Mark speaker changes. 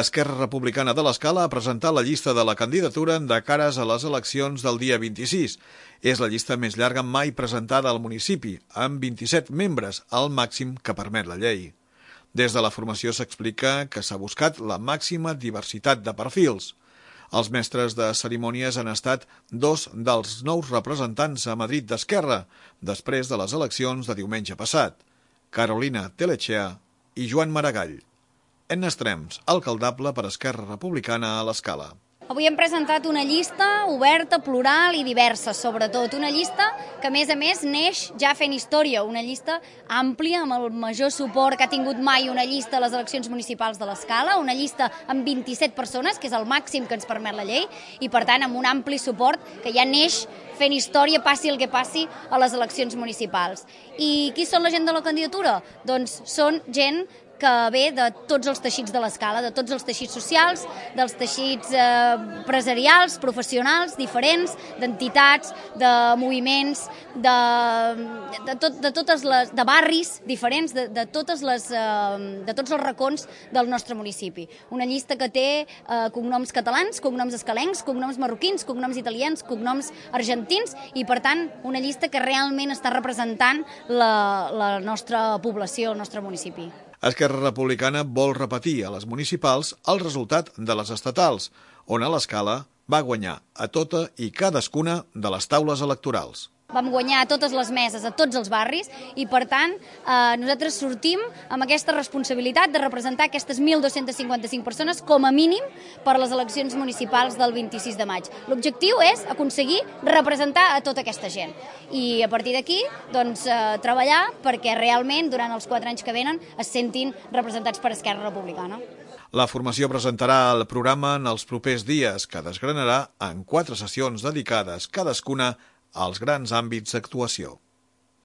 Speaker 1: Esquerra Republicana de l'Escala ha presentat la llista de la candidatura de cares a les eleccions del dia 26. És la llista més llarga mai presentada al municipi, amb 27 membres, el màxim que permet la llei. Des de la formació s'explica que s'ha buscat la màxima diversitat de perfils. Els mestres de cerimònies han estat dos dels nous representants a Madrid d'Esquerra, després de les eleccions de diumenge passat, Carolina Telechea i Joan Maragall. Enna Estrems, alcaldable per Esquerra Republicana a l'Escala.
Speaker 2: Avui hem presentat una llista oberta, plural i diversa, sobretot. Una llista que, a més, neix ja fent història. Una llista àmplia, amb el major suport que ha tingut mai una llista a les eleccions municipals de l'Escala, una llista amb 27 persones, que és el màxim que ens permet la llei, i, per tant, amb un ampli suport que ja neix fent història, passi el que passi, a les eleccions municipals. I qui són la gent de la candidatura? Doncs són gent que ve de tots els teixits de l'Escala, de tots els teixits socials, dels teixits empresarials, professionals, diferents, d'entitats, de moviments, de barris diferents, de tots els racons del nostre municipi. Una llista que té cognoms catalans, cognoms escalencs, cognoms marroquins, cognoms italians, cognoms argentins i, per tant, una llista que realment està representant la nostra població, el nostre municipi.
Speaker 1: Esquerra Republicana vol repetir a les municipals el resultat de les estatals, on a l'Escala va guanyar a tota i cadascuna de les taules electorals.
Speaker 2: Vam guanyar a totes les meses, a tots els barris, i per tant nosaltres sortim amb aquesta responsabilitat de representar aquestes 1.255 persones com a mínim per a les eleccions municipals del 26 de maig. L'objectiu és aconseguir representar a tota aquesta gent i a partir d'aquí treballar perquè realment durant els 4 anys que venen es sentin representats per Esquerra Republicana.
Speaker 1: La formació presentarà el programa en els propers dies, que desgranarà en 4 sessions dedicades cadascuna als grans àmbits d'actuació.